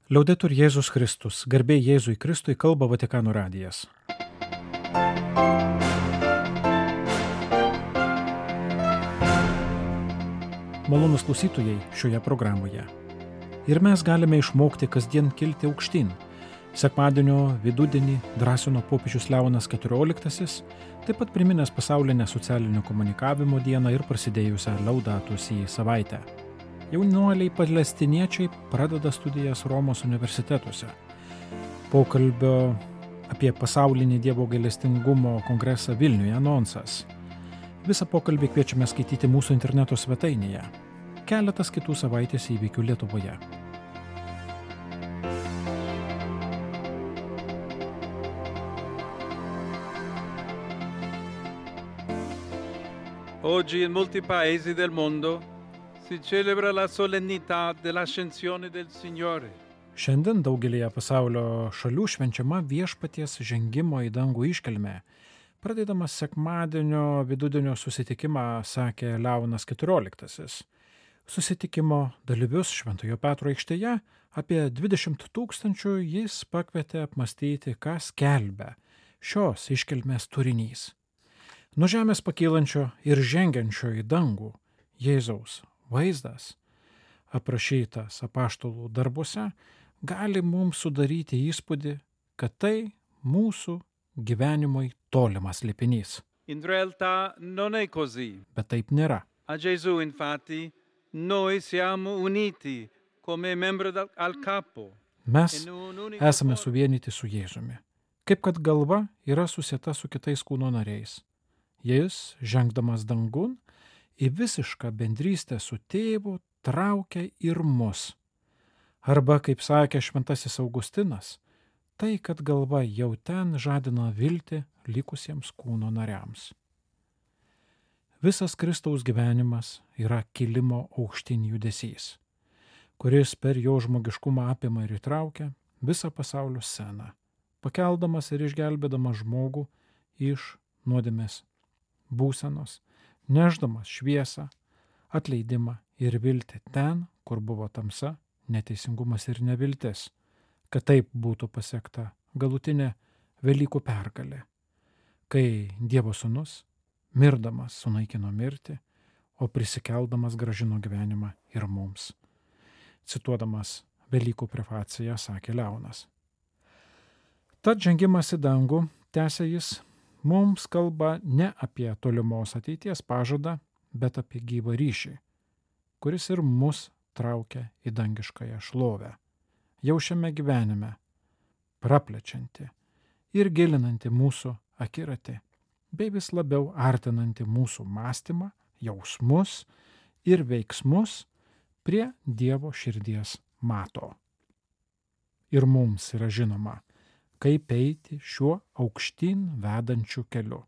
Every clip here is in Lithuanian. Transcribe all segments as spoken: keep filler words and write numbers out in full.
Liaudetur Jėzus Kristus, garbė Jėzui Kristui, kalba Vatikano radijas. Malonus klausytojai šioje programoje. Ir mes galime išmokti kasdien kilti aukštyn. Sekmadienio vidudienį drąsino popiežius Leonas keturioliktasis, taip pat priminęs pasaulinę socialinio komunikavimo dieną ir prasidėjusią Laudato Si savaitę. Jaunuoliai palestiniečiai pradeda studijas Romos universitetuose. Pokalbio apie pasaulinį Dievo gailestingumo kongresą Vilniuje anonsas. Visą pokalbį kviečiame skaityti mūsų interneto svetainėje. Keletas kitų savaitės įvykių Lietuvoje. Oggi in molti paesi del mondo si celebra la solennità dell'ascensione del Signore. Šiandien daugelėje pasaulio šalių švenčiama Viešpaties žengimo į dangų iškilmė. Pradėdamas sekmadienio vidudienio susitikimą, sakė Leonas keturioliktasis. Susitikimo dalyvius Šventojo Petro aikštėje apie dvidešimt tūkstančių jis pakvietė apmastyti, ką skelbia šios iškilmės turinys. Nuo žemės pakylančio ir žengiančio į dangų Jėzaus vaizdas, aprašytas apaštalų darbuose, gali mums sudaryti įspūdį, kad tai mūsų gyvenimui tolimas slėpinys. In realtà non è così. Bet taip nėra. A Gesù, infatti, noi siamo uniti come membri del- al capo. Mes in un unico esame corpo. suvienyti su Jėzumi, kaip kad galva yra susieta su kitais kūno nariais. Jis, žengdamas dangun, į visišką bendrystę su tėvu traukia ir mus. Arba, kaip sakė šventasis Augustinas, tai, kad galva jau ten žadina viltį likusiems kūno nariams. Visas Kristaus gyvenimas yra kilimo aukštyn judesys, kuris per jo žmogiškumą apima ir įtraukia visą pasaulio sceną, pakeldamas ir išgelbėdamas žmogų iš nuodėmės būsenos, neždamas šviesą, atleidimą ir viltį ten, kur buvo tamsa, neteisingumas ir neviltis, kad taip būtų pasiekta galutinė Velykų pergalė, kai Dievo sūnus, mirdamas, sunaikino mirtį, o prisikeldamas grąžino gyvenimą ir mums. Cituodamas Velykų prefaciją, sakė Leonas. Tad žengimas į dangų, tęsė jis, mums kalba ne apie tolimos ateities pažadą, bet apie gyvą ryšį, kuris ir mus traukia į dangiškąją šlovę. Jau šiame gyvenime, praplečianti ir gilinanti mūsų akiratį, bei vis labiau artinanti mūsų mąstymą, jausmus ir veiksmus prie Dievo širdies mato. Ir mums yra žinoma, kaip eiti šiuo aukštyn vedančiu keliu.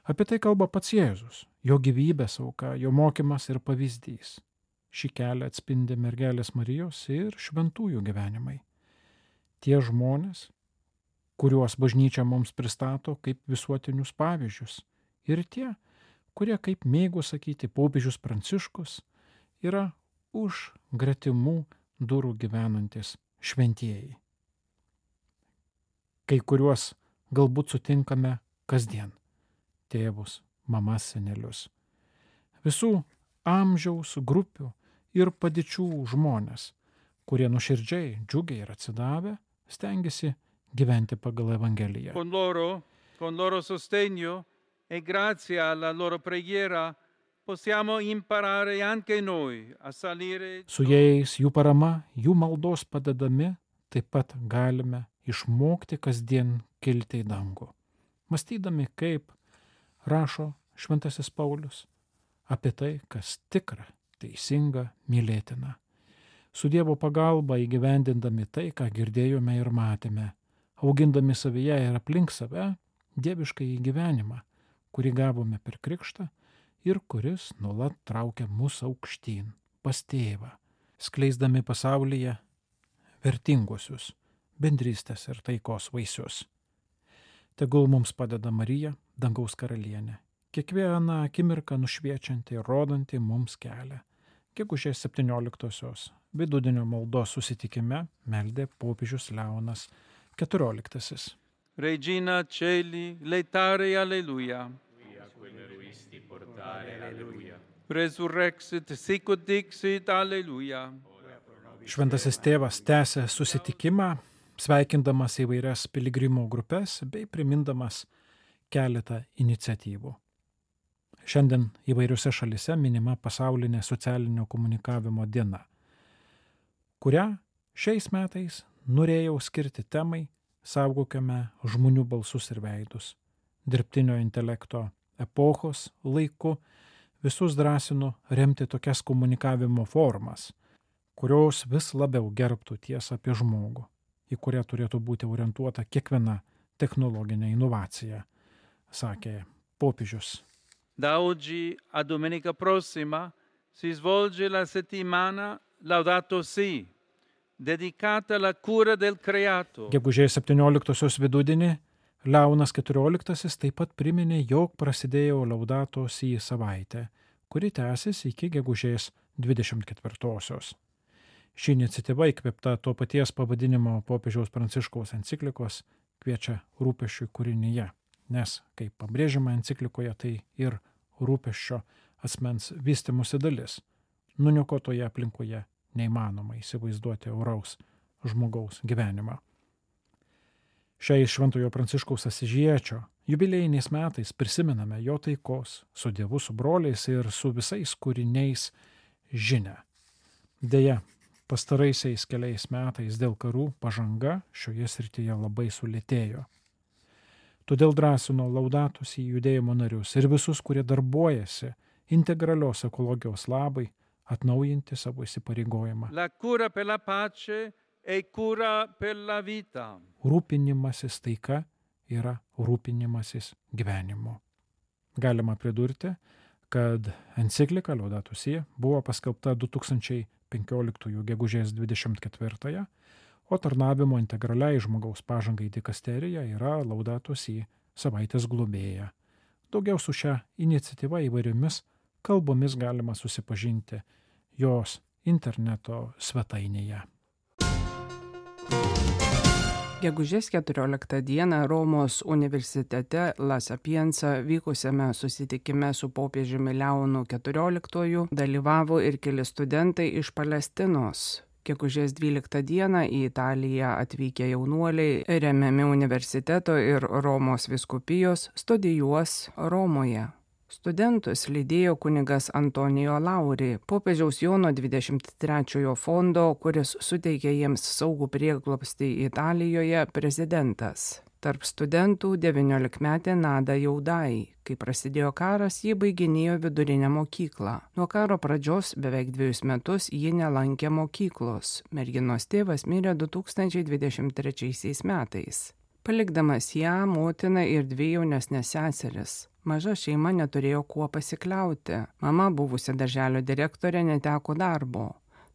Apie tai kalba pats Jėzus, jo gyvybės auka, jo mokymas ir pavyzdys. Šį kelią atspindi mergelės Marijos ir šventųjų gyvenimai. Tie žmonės, kuriuos bažnyčia mums pristato kaip visuotinius pavyzdžius, ir tie, kurie, kaip mėgo sakyti popiežius Pranciškus, yra už gretimų durų gyvenantis šventieji. Kai kuriuos galbūt sutinkame kasdien – tėvus, mamas, senelius. Visų amžiaus grupių ir padėčių žmonės, kurie nuoširdžiai, džiugiai ir atsidavę, stengiasi gyventi pagal Evangeliją. Con loro, con loro sostegno e grazie alla loro preghiera possiamo imparare anche noi a salire. Su jais, jų parama, jų maldos padedami, taip pat galime išmokti kasdien kilti į dangų. Mąstydami, kaip rašo šventasis Paulius, apie tai, kas tikra, teisinga, mylėtina. Su Dievo pagalba įgyvendindami tai, ką girdėjome ir matėme, augindami savyje ir aplink save dievišką įgyvenimą, kurį gavome per krikštą ir kuris nuolat traukia mus aukštyn, pas tėvą, skleisdami pasaulyje vertinguosius bendrystės ir taikos vaisius. Tegul mums padeda Marija, dangaus karalienė, kiekvieną akimirką nušviečianti ir rodanti mums kelią, gegužės septynioliktosios vidudienio maldos susitikime meldė popiežius Leonas keturioliktasis. Regina Celi, letare alleluia. Resurrexit, sicut dixit, alleluia. Šventasis tėvas tęsė susitikimą, sveikindamas įvairias piligrimų grupės bei primindamas keletą iniciatyvų. Šiandien įvairiose šalise minima pasaulinė socialinio komunikavimo diena, kurią šiais metais norėjau skirti temai Saugokime žmonių balsus ir veidus. Dirbtinio intelekto epochos laiku visus drąsinu remti tokias komunikavimo formas, kurios vis labiau gerbtų tiesą apie žmogų, į kurią turėtų būti orientuota kiekviena technologinė inovacija, sakė popiežius. Da oggi a domenica prossima si svolge la settimana Laudato Si, dedicata alla cura del creato. Gegužės septynioliktosios vidudienį Leonas keturioliktasis taip pat priminė, jog prasidėjo Laudato Si savaitė, kuri tęsis iki gegužės dvidešimt ketvirtosios. Ši iniciatyva įkvėpta to paties pavadinimo popiežiaus Pranciškaus enciklikos kviečia rūpesčiui kūrinyje, nes, kaip pabrėžiama enciklikoje, tai ir rūpesčio asmens vystymosi dalis. Nuniokotoje aplinkoje neįmanoma įsivaizduoti oraus žmogaus gyvenimą. Šiais Šventojo Pranciškaus Asyžiečio jubiliejiniais metais prisimename jo taikos su Dievu, su broliais ir su visais kūriniais žinią. Deja, pastaraisiais keliais metais dėl karų pažanga šioje srityje labai sulėtėjo. Todėl drąsino Laudato Si judėjimo narius ir visus, kurie darbuojasi integralios ekologijos labai, atnaujinti savo įsipareigojimą. La cura per la pace e cura per la vita. Rūpinimasis taika yra rūpinimasis gyvenimu. Galima pridurti, kad enciklika Laudato Si buvo paskelbta du tūkstančiai penkioliktųjų gegužės dvidešimt ketvirtąją, o tarnavimo integraliai žmogaus pažangai dikasterija yra Laudato Si savaitės globėja. Daugiau su šia iniciatyva įvairiomis kalbomis galima susipažinti jos interneto svetainėje. Gegužės keturioliktą dieną Romos universitete La Sapienza vykusiame susitikime su popiežiumi Leonu keturioliktuoju dalyvavo ir keli studentai iš Palestinos. Gegužės dvyliktą dieną į Italiją atvykę jaunuoliai, remiami universiteto ir Romos vyskupijos, studijuos Romoje. Studentus lydėjo kunigas Antonijo Lauri, popiežiaus Jono dvidešimt trečiojo fondo, kuris suteikė jiems saugų prieglobstį Italijoje, prezidentas. Tarp studentų devyniolikmetė Nada Jaudai. Kai prasidėjo karas, ji baiginėjo vidurinę mokyklą. Nuo karo pradžios beveik dviejus metus ji nelankė mokyklos. Merginos tėvas mirė du tūkstančiai dvidešimt trečiaisiais metais. Palikdamas ją, motiną ir dvi jaunesnės seseris. Maža šeima neturėjo kuo pasikliauti. Mama, buvusi darželio direktorė, neteko darbo.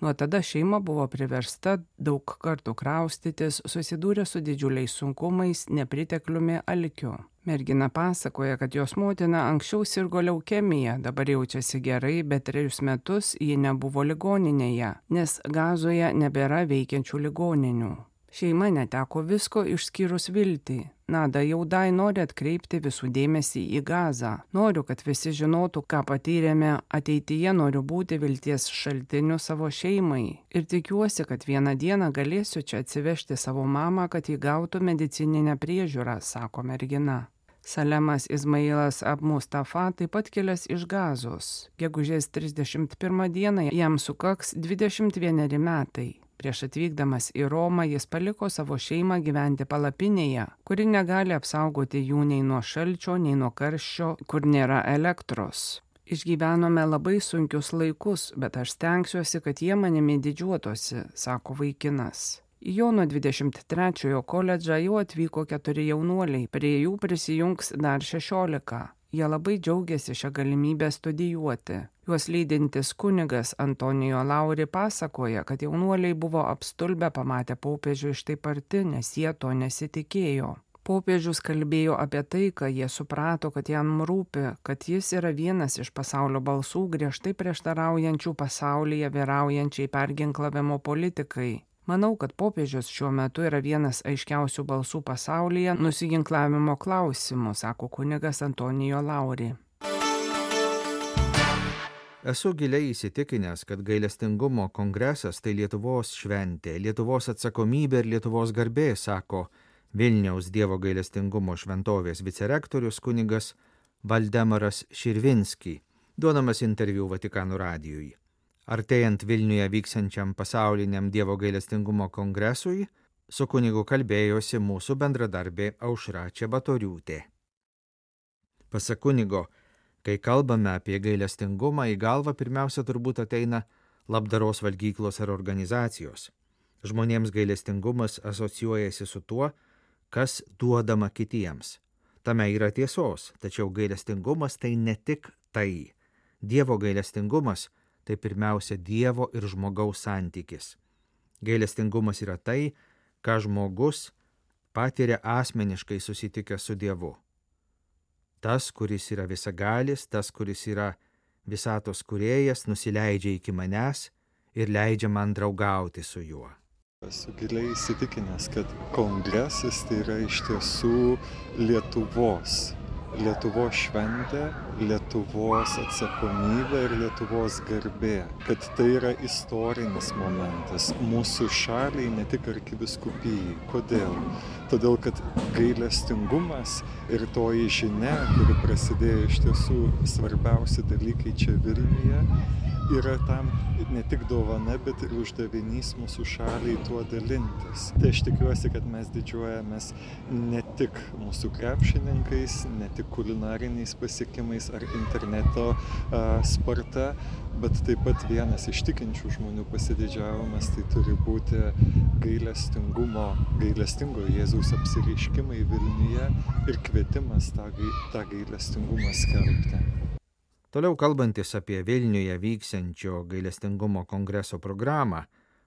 Nuo tada šeima buvo priversta daug kartų kraustytis, susidūrė su didžiuliais sunkumais, nepritekliumi, alkiu. Mergina pasakoja, kad jos motina anksčiau sirgo leukemija, dabar jaučiasi gerai, bet trejus metus ji nebuvo ligoninėje, nes Gazoje nebėra veikiančių ligoninių. Šeima neteko visko išskyrus viltį. Nada Jaudai nori atkreipti visų dėmesį į Gazą. Noriu, kad visi žinotų, ką patyrėme, ateityje noriu būti vilties šaltiniu savo šeimai. Ir tikiuosi, kad vieną dieną galėsiu čia atsivežti savo mamą, kad įgautų medicininę priežiūrą, sako mergina. Salemas Izmailas Ab-Mustafa taip pat kilęs iš Gazos. Gegužės trisdešimt pirmą dieną jam sukaks dvidešimt vieneri metai. Prieš atvykdamas į Romą jis paliko savo šeimą gyventi palapinėje, kuri negali apsaugoti jų nei nuo šalčio, nei nuo karščio, kur nėra elektros. Išgyvenome labai sunkius laikus, bet aš stengsiuosi, kad jie manimi didžiuotosi, sako vaikinas. Į Jono dvidešimt trečiojo koledžą jau atvyko keturi jaunuoliai, prie jų prisijungs dar šešiolika. Jie labai džiaugiasi šią galimybę studijuoti. Juos lydintis kunigas Antonijo Lauri pasakoja, kad jaunuoliai buvo apstulbę pamatę popiežių iš taip arti, nes jie to nesitikėjo. Popiežius kalbėjo apie tai, kad jie suprato, kad jam rūpi, kad jis yra vienas iš pasaulio balsų griežtai prieštaraujančių pasaulyje vyraujančiai perginklavimo politikai. Manau, kad popiežius šiuo metu yra vienas aiškiausių balsų pasaulyje nusiginklavimo klausimų, sako kunigas Antonijo Lauri. Esu giliai įsitikinęs, kad gailestingumo kongresas tai Lietuvos šventė, Lietuvos atsakomybė ir Lietuvos garbė, sako Vilniaus Dievo gailestingumo šventovės vicerektorius kunigas Valdemaras Širvinski, duodamas interviu Vatikano radijui. Artėjant Vilniuje vyksiančiam pasauliniam Dievo gailestingumo kongresui, su kunigu kalbėjosi mūsų bendradarbė Aušra Čebatoriūtė. Pasak kunigo, kai kalbame apie gailestingumą, į galvą pirmiausia turbūt ateina labdaros valgyklos ar organizacijos. Žmonėms gailestingumas asocijuojasi su tuo, kas duodama kitiems. Tame yra tiesos, tačiau gailestingumas tai ne tik tai. Dievo gailestingumas tai pirmiausia Dievo ir žmogaus santykis. Gailestingumas yra tai, ką žmogus patiria asmeniškai susitikęs su Dievu. Tas, kuris yra visagalis, tas, kuris yra visatos kūrėjas, nusileidžia iki manęs ir leidžia man draugauti su juo. Esu giliai įsitikinęs, kad kongresas tai yra iš tiesų Lietuvos. Lietuvos šventė, Lietuvos atsakomybė ir Lietuvos garbė. Kad tai yra istorinis momentas mūsų šaliai, ne tik arkivyskupijai. Kodėl? Todėl, kad gailestingumas ir toji žinia, kuri prasidėjo iš tiesų svarbiausi dalykai čia Vilniuje, yra tam ne tik dovana, bet ir uždavinys mūsų šaliai tuo dalintis. Tai aš tikiuosi, kad mes didžiuojamės ne tik mūsų krepšininkais, ne tik kulinariniais pasiekimais ar interneto a, sparta, bet taip pat vienas iš tikinčių žmonių pasididžiavimas tai turi būti gailestingumo, gailestingo Jėzaus apsireiškimai Vilniuje ir kvietimas tą, tą gailestingumą skelbti. Toliau kalbantis apie Vilniuje vyksiančio gailestingumo kongreso programą,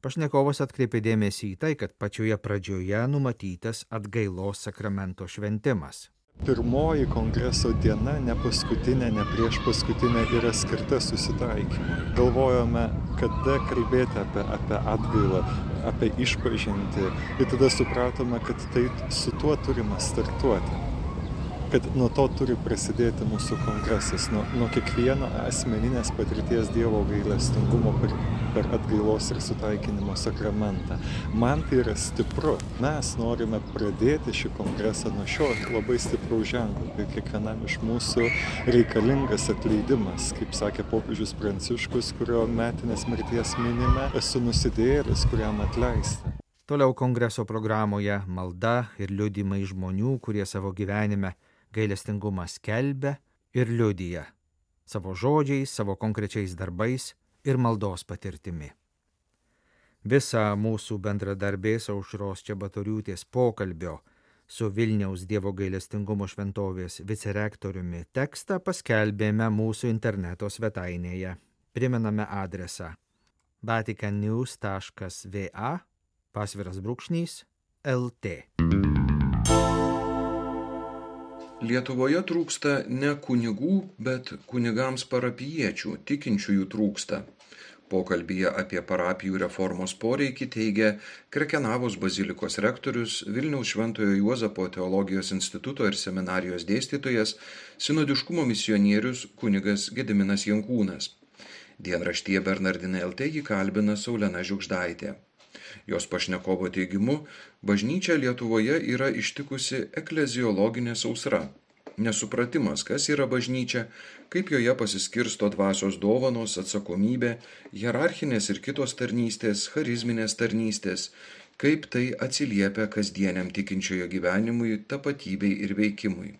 pašnekovas atkreipė dėmesį į tai, kad pačioje pradžioje numatytas atgailos sakramento šventimas. Pirmoji kongreso diena, ne paskutinė, ne prieš paskutinę, yra skirta susitaikymui. Galvojome, kada kalbėti apie, apie atgailą, apie išpažintį, ir tada supratome, kad tai su tuo turime startuoti. Kad nuo to turi prasidėti mūsų kongresas, nuo, nuo kiekvieno asmeninės patirties Dievo gailestingumo per, per atgailos ir sutaikinimo sakramentą. Man tai yra stipru. Mes norime pradėti šį kongresą nuo šio labai stipraus ženklo, kad kiekvienam iš mūsų reikalingas atleidimas, kaip sakė popiežius Pranciškus, kurio metinės mirties minime, esu nusidėjėlis, kuriam atleista. Toliau kongreso programoje malda ir liudymai žmonių, kurie savo gyvenime gailestingumą skelbia ir liudija savo žodžiais, savo konkrečiais darbais ir maldos patirtimi. Visą mūsų bendradarbės Aušros Čebatoriūtės pokalbio su Vilniaus Dievo gailestingumo šventovės vicerektoriumi tekstą paskelbėme mūsų interneto svetainėje. Primename adresą vaticannews taškas va pasviras brūkšnys lt. Lietuvoje trūksta ne kunigų, bet kunigams parapijiečių, tikinčiųjų trūksta. Pokalbyje apie parapijų reformos poreikį teigia Krekenavos bazilikos rektorius, Vilniaus Šventojo Juozapo teologijos instituto ir seminarijos dėstytojas, sinodiškumo misionierius kunigas Gediminas Jankūnas. Dienraštyje Bernardinai L T jį kalbina Saulena Žiugždaitė. Jos pašnekovo teigimu, bažnyčia Lietuvoje yra ištikusi ekleziologinė sausra. Nesupratimas, kas yra bažnyčia, kaip joje pasiskirsto dvasios dovanos, atsakomybė, hierarchinės ir kitos tarnystės, charizminės tarnystės, kaip tai atsiliepia kasdieniam tikinčiojo gyvenimui, tapatybei ir veikimui.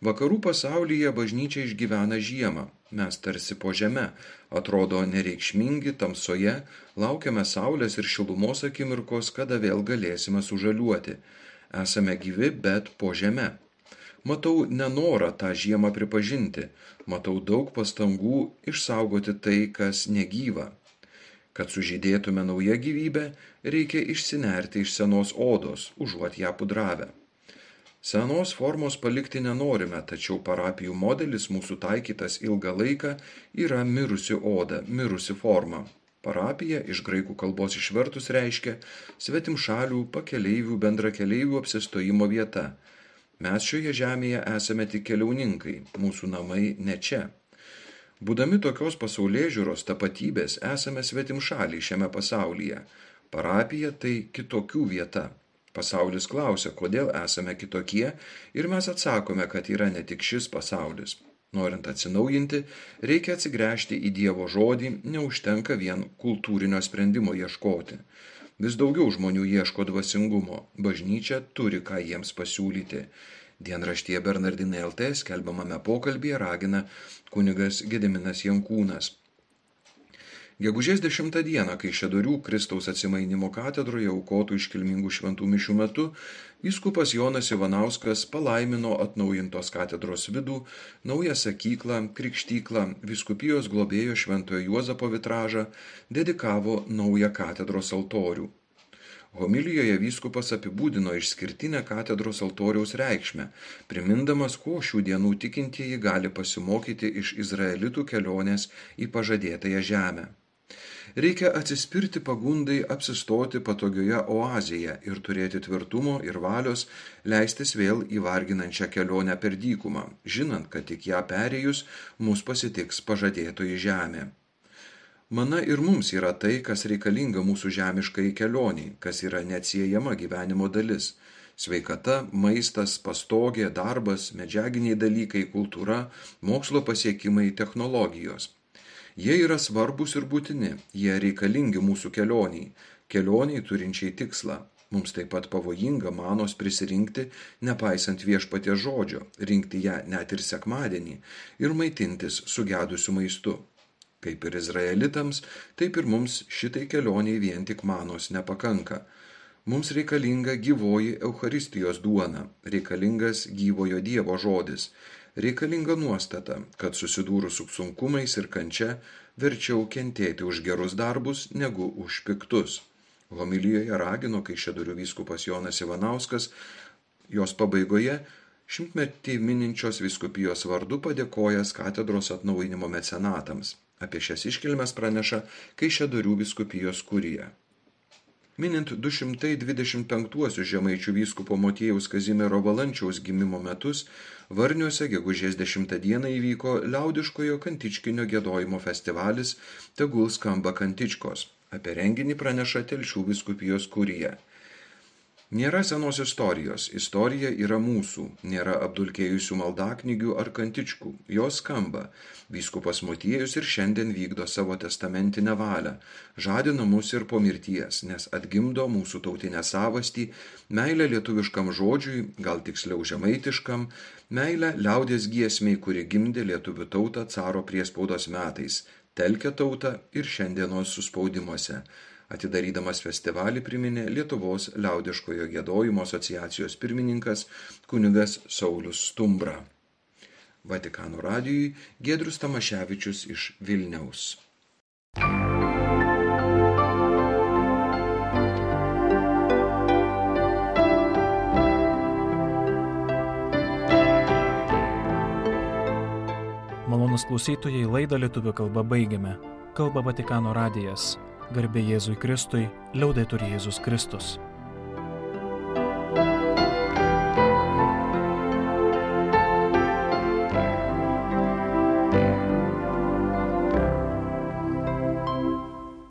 Vakarų pasaulyje bažnyčia išgyvena žiemą. Mes tarsi po žeme, atrodo nereikšmingi, tamsoje, laukiame saulės ir šilumos akimirkos, kada vėl galėsime sužaliuoti. Esame gyvi, bet po žeme. Matau nenorą tą žiemą pripažinti, matau daug pastangų išsaugoti tai, kas negyva. Kad sužydėtume naują gyvybę, reikia išsinerti iš senos odos, užuot ją pudravę. Senos formos palikti nenorime, tačiau parapijų modelis mūsų taikytas ilgą laiką yra mirusi oda, mirusi forma. Parapija iš graikų kalbos išvertus reiškia svetimšalių, pakeleivių, bendrakeleivių apsistojimo vieta. Mes šioje žemėje esame tik keliauninkai, mūsų namai ne čia. Būdami tokios pasaulėžiūros tapatybės esame svetimšaliai šiame pasaulyje. Parapija tai kitokių vieta. Pasaulis klausia, kodėl esame kitokie, ir mes atsakome, kad yra ne tik šis pasaulis. Norint atsinaujinti, reikia atsigręžti į Dievo žodį, neužtenka vien kultūrinio sprendimo ieškoti. Vis daugiau žmonių ieško dvasingumo, bažnyčia turi ką jiems pasiūlyti. Dienraštyje Bernardinai L T skelbiamame pokalbyje ragina kunigas Gediminas Jankūnas. Gegužės dešimtą dieną, Kaišiadorių Kristaus atsimainimo katedroje aukotų iškilmingų šventų mišių metu, vyskupas Jonas Ivanauskas palaimino atnaujintos katedros vidų, naują sakyklą, krikštyklą, vyskupijos globėjo Šventojo Juozapo vitražą, dedikavo naują katedros altorių. Homilijoje vyskupas apibūdino išskirtinę katedros altoriaus reikšmę, primindamas, ko šių dienų tikintieji gali pasimokyti iš izraelitų kelionės į pažadėtąją žemę. Reikia atsispirti pagundai apsistoti patogioje oazėje ir turėti tvirtumo ir valios leistis vėl į varginančią kelionę per dykumą, žinant, kad tik ją perėjus mus pasitiks pažadėtoji žemė. Mana ir mums yra tai, kas reikalinga mūsų žemiškai kelioniai, kas yra neatsiejama gyvenimo dalis. Sveikata, maistas, pastogė, darbas, medžiaginiai dalykai, kultūra, mokslo pasiekimai, technologijos. Jie yra svarbus ir būtini, jie reikalingi mūsų kelioniai, kelioniai turinčiai tikslą. Mums taip pat pavojinga manos prisirinkti, nepaisant viešpaties žodžio, rinkti ją net ir sekmadienį ir maitintis sugedusiu maistu. Kaip ir izraelitams, taip ir mums šitai kelioniai vien tik manos nepakanka. Mums reikalinga gyvoji Eucharistijos duona, reikalingas gyvojo Dievo žodis, reikalinga nuostata, kad susidūrus su sunkumais ir kančia verčiau kentėti už gerus darbus negu už piktus. Homilijoje ragino Kaišiadorių vyskupas Jonas Ivanauskas, jos pabaigoje šimtmetį mininčios vyskupijos vardu padėkojęs katedros atnaujinimo mecenatams. Apie šias iškilmes praneša Kaišiadorių vyskupijos kurija. Minint du šimtai dvidešimt penktuosius žemaičių vyskupo Motiejaus Kazimiero Valančiaus gimimo metus, Varniuose gegužės dešimtą dieną įvyko liaudiškojo kantičkinio giedojimo festivalis Tegul skamba kantičkos. Apie renginį praneša Telšių vyskupijos kurija. Nėra senos istorijos, istorija yra mūsų, nėra apdulkėjusių maldaknygių ar kantičkų, jos skamba. Vyskupas Motiejus ir šiandien vykdo savo testamentinę valią, žadina mus ir po mirties, nes atgimdo mūsų tautinę savastį, meilę lietuviškam žodžiui, gal tiksliau žemaitiškam, meilę liaudies giesmei, kuri gimdė lietuvių tautą caro priespaudos metais, telkia tautą ir šiandienos suspaudimuose. Atidarydamas festivalį priminė Lietuvos liaudiškojo giedojimo asociacijos pirmininkas kunigas Saulius Stumbra. Vatikano radijui Giedrius Tamaševičius iš Vilniaus. Malonūs klausytojai, laidą lietuvių kalba baigiame. Kalba Vatikano radijas. Garbė Jėzui Kristui, liaudetur Jėzus Kristus.